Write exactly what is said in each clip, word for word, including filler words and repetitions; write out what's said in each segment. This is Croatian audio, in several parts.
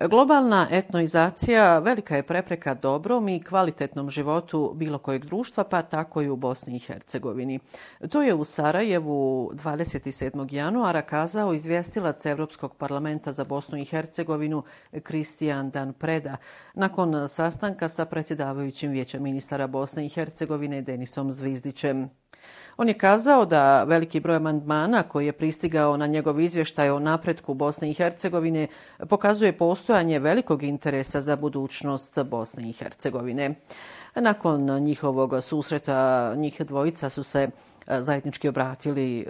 Globalna etnoizacija velika je prepreka dobrom i kvalitetnom životu bilo kojeg društva, pa tako i u Bosni i Hercegovini. To je u Sarajevu dvadeset sedmog januara kazao izvjestilac Europskog parlamenta za Bosnu i Hercegovinu Kristijan Dan Preda nakon sastanka sa predsjedavajućim Vijeća ministara Bosne i Hercegovine Denisom Zvizdićem. On je kazao da veliki broj amandmana koji je pristigao na njegov izvještaj o napretku Bosne i Hercegovine pokazuje postojanje velikog interesa za budućnost Bosne i Hercegovine. Nakon njihovog susreta njih dvojica su se zajednički obratili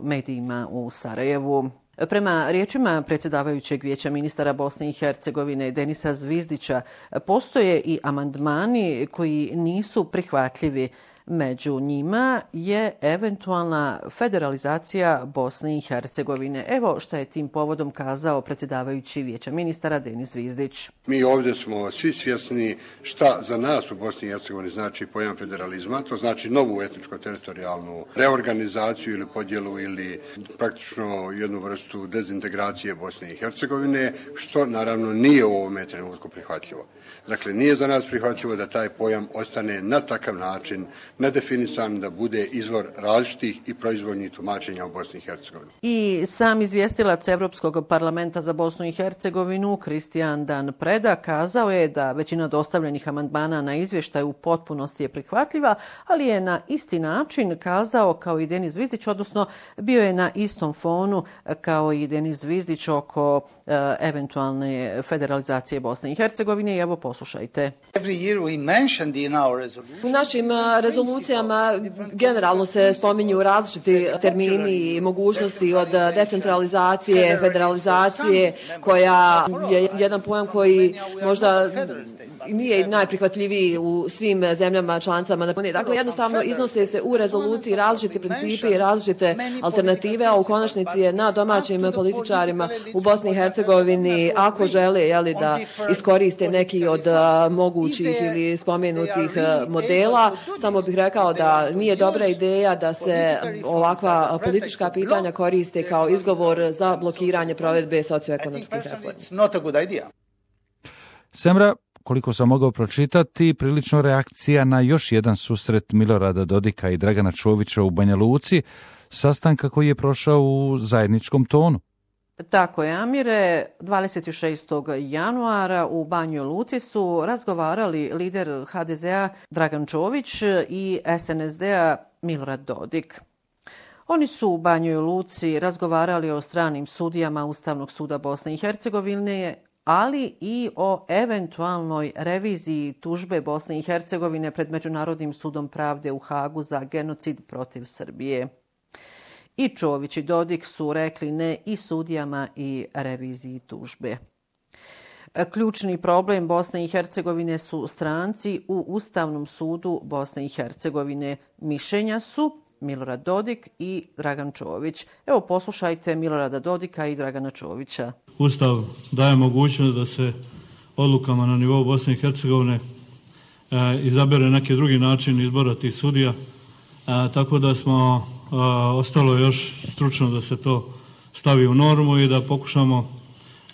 medijima u Sarajevu. Prema riječima predsjedavajućeg Vijeća ministara Bosne i Hercegovine Denisa Zvizdića, postoje i amandmani koji nisu prihvatljivi. Među njima je eventualna federalizacija Bosne i Hercegovine. Evo što je tim povodom kazao predsjedavajući Vijeća ministara Denis Zvizdić. Mi ovdje smo svi svjesni šta za nas u Bosni i Hercegovini znači pojam federalizma. To znači novu etničko-teritorijalnu reorganizaciju ili podjelu ili praktično jednu vrstu dezintegracije Bosne i Hercegovine, što naravno nije u ovome trenutku prihvatljivo. Dakle, nije za nas prihvatljivo da taj pojam ostane na takav način nedefinisan, da bude izvor različitih i proizvoljnih tumačenja u Bosni i Hercegovini. I sam izvjestilac Europskog parlamenta za Bosnu i Hercegovinu Kristijan Dan Preda kazao je da većina dostavljenih amandmana na izvještaj u potpunosti je prihvatljiva, ali je na isti način kazao kao i Denis Zvizdić, odnosno bio je na istom fonu kao i Denis Zvizdić oko uh, eventualne federalizacije Bosne i Hercegovine. I evo poslušajte. U našim rezolucijama generalno se spominju različiti termini i mogućnosti od decentralizacije, federalizacije, koja je jedan pojam koji možda nije najprihvatljiviji u svim zemljama članicama. Dakle, jednostavno iznose se u rezoluciji različiti principi i različite alternative, a u konačnici je na domaćim političarima u Bosni i Hercegovini, ako žele jeli, da iskoriste neki od mogućih ili spomenutih modela, samo bih rekao da nije dobra ideja da se ovakva politička pitanja koriste kao izgovor za blokiranje provedbe socioekonomskih reformi. Semra, koliko sam mogao pročitati, prilično reakcija na još jedan susret Milorada Dodika i Dragana Čovića u Banja Luci, sastanka koji je prošao u zajedničkom tonu. Tako je, Amire. dvadeset šestog januara u Banjoj Luci su razgovarali lider ha de zea Dragan Čović i es en es de-a Milorad Dodik. Oni su u Banjoj Luci razgovarali o stranim sudijama Ustavnog suda Bosne i Hercegovine, ali i o eventualnoj reviziji tužbe Bosne i Hercegovine pred Međunarodnim sudom pravde u Hagu za genocid protiv Srbije. I Čović i Dodik su rekli ne i sudijama i reviziji tužbe. Ključni problem Bosne i Hercegovine su stranci u Ustavnom sudu Bosne i Hercegovine. Mišljenja su Milorad Dodik i Dragan Čović. Evo poslušajte Milorada Dodika i Dragana Čovića. Ustav daje mogućnost da se odlukama na nivou Bosne i Hercegovine e, izabere neki drugi način izbora tih sudija, e, tako da smo e, ostalo još stručno da se to stavi u normu i da pokušamo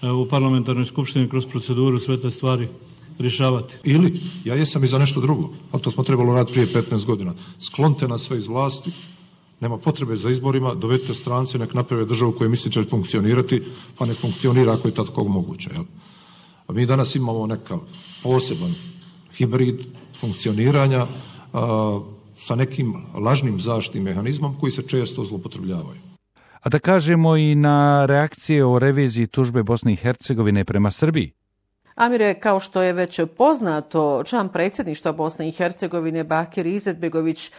e, u parlamentarnoj skupštini kroz proceduru sve te stvari rješavati. Ili, ja jesam i za nešto drugo, ali to smo trebalo raditi prije petnaest godina. Sklonite nas sve iz vlasti, nema potrebe za izborima, dovedite strance, nek naprave državu koju misli će funkcionirati, pa nek funkcionira ako je tako moguće. Jel? A mi danas imamo nekav poseban hibrid funkcioniranja a, sa nekim lažnim zaštitnim mehanizmom koji se često zloupotrebljavaju. A da kažemo i na reakcije o reviziji tužbe Bosne i Hercegovine prema Srbiji. Amire, kao što je već poznato, član predsjedništva Bosne i Hercegovine Bakir Izetbegović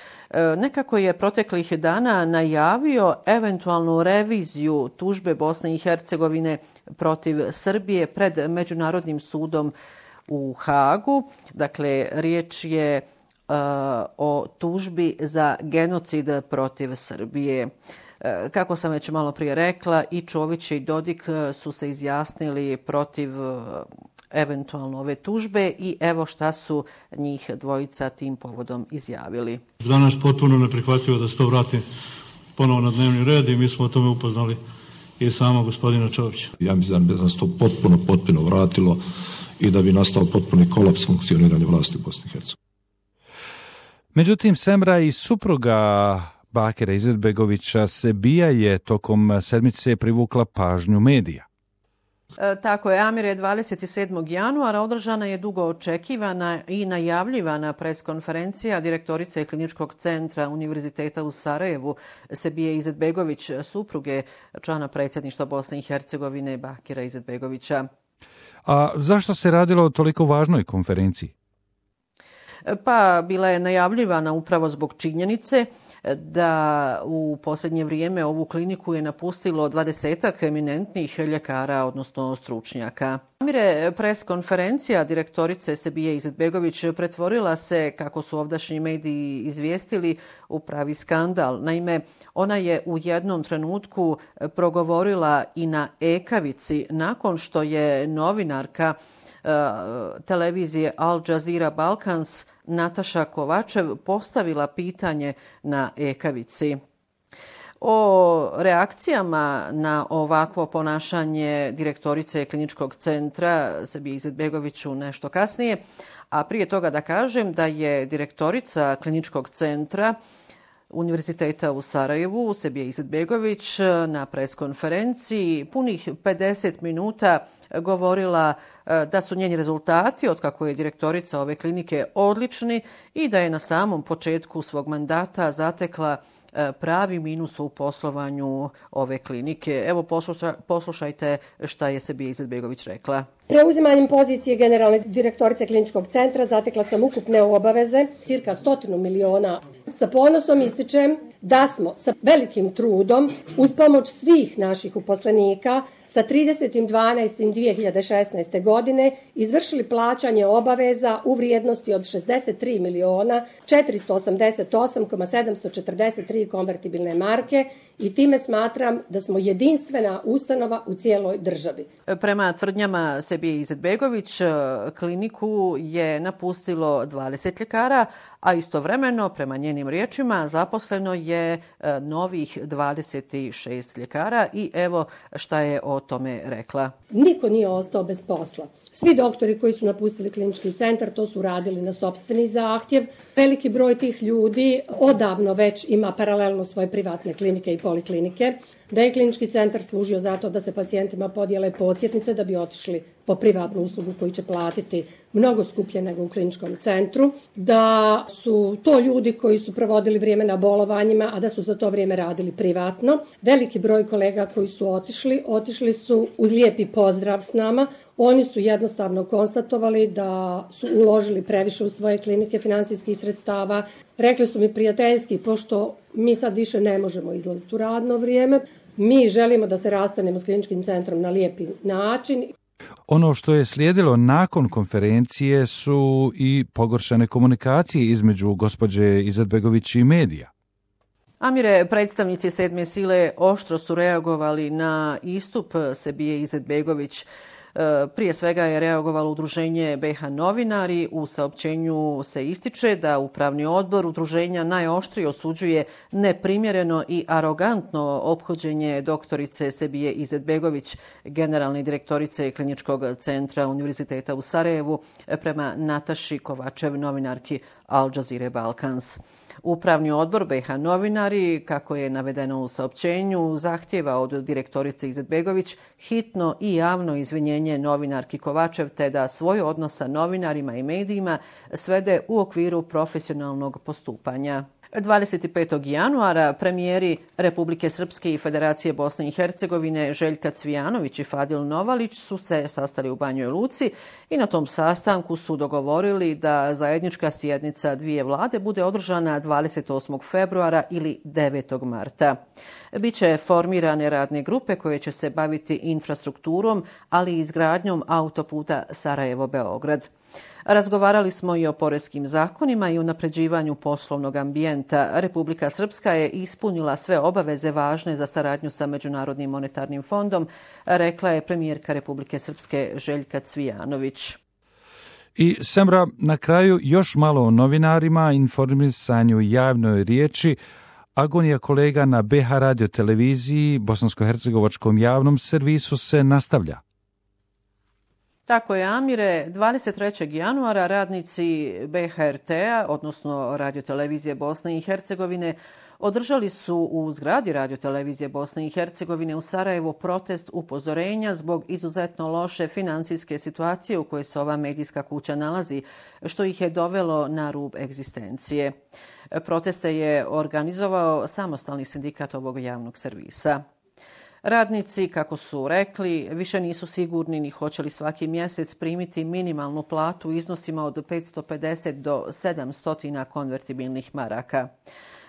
nekako je proteklih dana najavio eventualnu reviziju tužbe Bosne i Hercegovine protiv Srbije pred Međunarodnim sudom u Hagu. Dakle, riječ je uh, o tužbi za genocid protiv Srbije. Kako sam već malo prije rekla, i Čović i Dodik su se izjasnili protiv eventualno ove tužbe i evo šta su njih dvojica tim povodom izjavili. Danas potpuno neprihvatljivo da se to vrati ponovo na dnevni red i mi smo o tome upoznali i samog gospodina Čovića. Ja mislim da bi nas to potpuno, potpuno vratilo i da bi nastao potpuni kolaps funkcioniranja vlasti u Bosni i Hercegovini. Međutim, Semra i supruga Bakira Izetbegovića Sebija je tokom sedmice privukla pažnju medija. E, tako je, Amire, dvadeset sedmog januara održana je dugo očekivana i najavljivana preskonferencija direktorice Kliničkog centra Univerziteta u Sarajevu Sebije Izetbegović, supruge člana predsjedništva Bosne i Hercegovine Bakira Izetbegovića. A zašto se radilo o toliko važnoj konferenciji? Pa bila je najavljivana upravo zbog činjenice da u posljednje vrijeme ovu kliniku je napustilo dvadesetak eminentnih ljekara, odnosno stručnjaka. Amire, preskonferencija direktorice Sebije Izetbegović pretvorila se, kako su ovdašnji mediji izvijestili, u pravi skandal. Naime, ona je u jednom trenutku progovorila i na ekavici nakon što je novinarka uh, televizije Al Jazeera Balkans Nataša Kovačev postavila pitanje na ekavici. O reakcijama na ovakvo ponašanje direktorice Kliničkog centra Sebije Izetbegoviću nešto kasnije, a prije toga da kažem da je direktorica Kliničkog centra Univerziteta u Sarajevu Sebija Izetbegović na preskonferenciji punih pedeset minuta govorila da su njeni rezultati od kako je direktorica ove klinike odlični i da je na samom početku svog mandata zatekla pravi minus u poslovanju ove klinike. Evo posluša, poslušajte šta je Sebija Izetbegović rekla. Preuzimanjem pozicije generalne direktorice Kliničkog centra zatekla sam ukupne obaveze, cirka stotinu miliona. Sa ponosom ističem da smo sa velikim trudom, uz pomoć svih naših uposlenika, sa tridesetim dvanaestim dvije hiljade šesnaeste. godine izvršili plaćanje obaveza u vrijednosti od šezdeset tri miliona četiristo osamdeset osam zarez sedamsto četrdeset tri konvertibilne marke i time smatram da smo jedinstvena ustanova u cijeloj državi. Prema tvrdnjama Sebije Izetbegović, kliniku je napustilo dvadeset ljekara, a istovremeno, prema njenim riječima, zaposleno je novih dvadeset šest ljekara i evo šta je o tome rekla. Niko nije ostao bez posla. Svi doktori koji su napustili klinički centar to su radili na sopstveni zahtjev. Veliki broj tih ljudi odavno već ima paralelno svoje privatne klinike i poliklinike. Da je klinički centar služio zato da se pacijentima podijele podsjetnice da bi otišli po privatnu uslugu koju će platiti mnogo skuplje nego u kliničkom centru. Da su to ljudi koji su provodili vrijeme na bolovanjima, a da su za to vrijeme radili privatno. Veliki broj kolega koji su otišli, otišli su uz lijepi pozdrav s nama. Oni su jednostavno konstatovali da su uložili previše u svoje klinike financijskih sredstava. Rekli su mi prijateljski, pošto mi sad više ne možemo izlaziti u radno vrijeme, mi želimo da se rastanemo s kliničkim centrom na lijepi način. Ono što je slijedilo nakon konferencije su i pogoršane komunikacije između gospođe Izetbegović i medija. Amire, predstavnici sedme sile oštro su reagovali na istup Sebije Izetbegović. Prije svega je reagovalo udruženje B H Novinari. U saopćenju se ističe da upravni odbor udruženja najoštrije osuđuje neprimjereno i arogantno ophođenje doktorice Sebije Izetbegović, generalne direktorice Kliničkog centra Univerziteta u Sarajevu, prema Nataši Kovačev, novinarki Al Jazeera Balkans. Upravni odbor B H Novinari, kako je navedeno u saopćenju, zahtjeva od direktorice Izetbegović hitno i javno izvinjenje novinarki Kovačev te da svoj odnos sa novinarima i medijima svede u okviru profesionalnog postupanja. dvadeset petog januara premijeri Republike Srpske i Federacije Bosne i Hercegovine Željka Cvijanović i Fadil Novalić su se sastali u Banjoj Luci i na tom sastanku su dogovorili da zajednička sjednica dvije vlade bude održana dvadeset osmog februara ili devetog marta. Biće formirane radne grupe koje će se baviti infrastrukturom, ali i izgradnjom autoputa Sarajevo-Beograd. Razgovarali smo i o poreskim zakonima i unapređivanju poslovnog ambijenta. Republika Srpska je ispunila sve obaveze važne za saradnju sa Međunarodnim monetarnim fondom, rekla je premijerka Republike Srpske Željka Cvijanović. I Semra, na kraju još malo o novinarima, informisanju javnoj riječi, Agonija kolega na B H radio televiziji, bosansko-hercegovačkom javnom servisu se nastavlja. Tako je, Amire. dvadeset trećeg januara radnici B H R T-a, odnosno radiotelevizije Bosne i Hercegovine, održali su u zgradi radiotelevizije Bosne i Hercegovine u Sarajevu protest upozorenja zbog izuzetno loše financijske situacije u kojoj se ova medijska kuća nalazi, što ih je dovelo na rub egzistencije. Proteste je organizovao samostalni sindikat ovog javnog servisa. Radnici, kako su rekli, više nisu sigurni ni hoće li svaki mjesec primiti minimalnu platu u iznosima od petsto pedeset do sedamsto konvertibilnih maraka.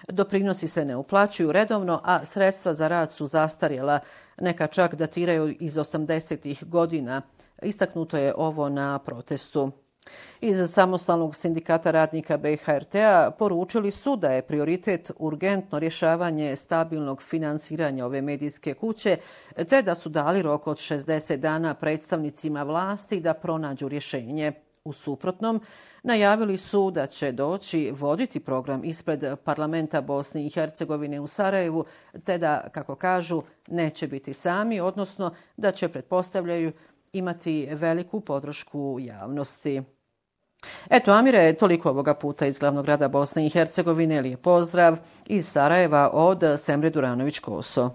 Doprinosi se ne uplaćuju redovno, a sredstva za rad su zastarjela, neka čak datiraju iz osamdesetih godina. Istaknuto je ovo na protestu. Iz samostalnog sindikata radnika B H R T-a poručili su da je prioritet urgentno rješavanje stabilnog finansiranja ove medijske kuće, te da su dali rok od šezdeset dana predstavnicima vlasti da pronađu rješenje. U suprotnom, najavili su da će doći voditi program ispred parlamenta Bosne i Hercegovine u Sarajevu, te da, kako kažu, neće biti sami, odnosno da će, pretpostavljaju, imati veliku podršku javnosti. Eto, Amire, toliko ovoga puta iz glavnog grada Bosne i Hercegovine. Lijep pozdrav iz Sarajeva od Semre Duranović-Koso.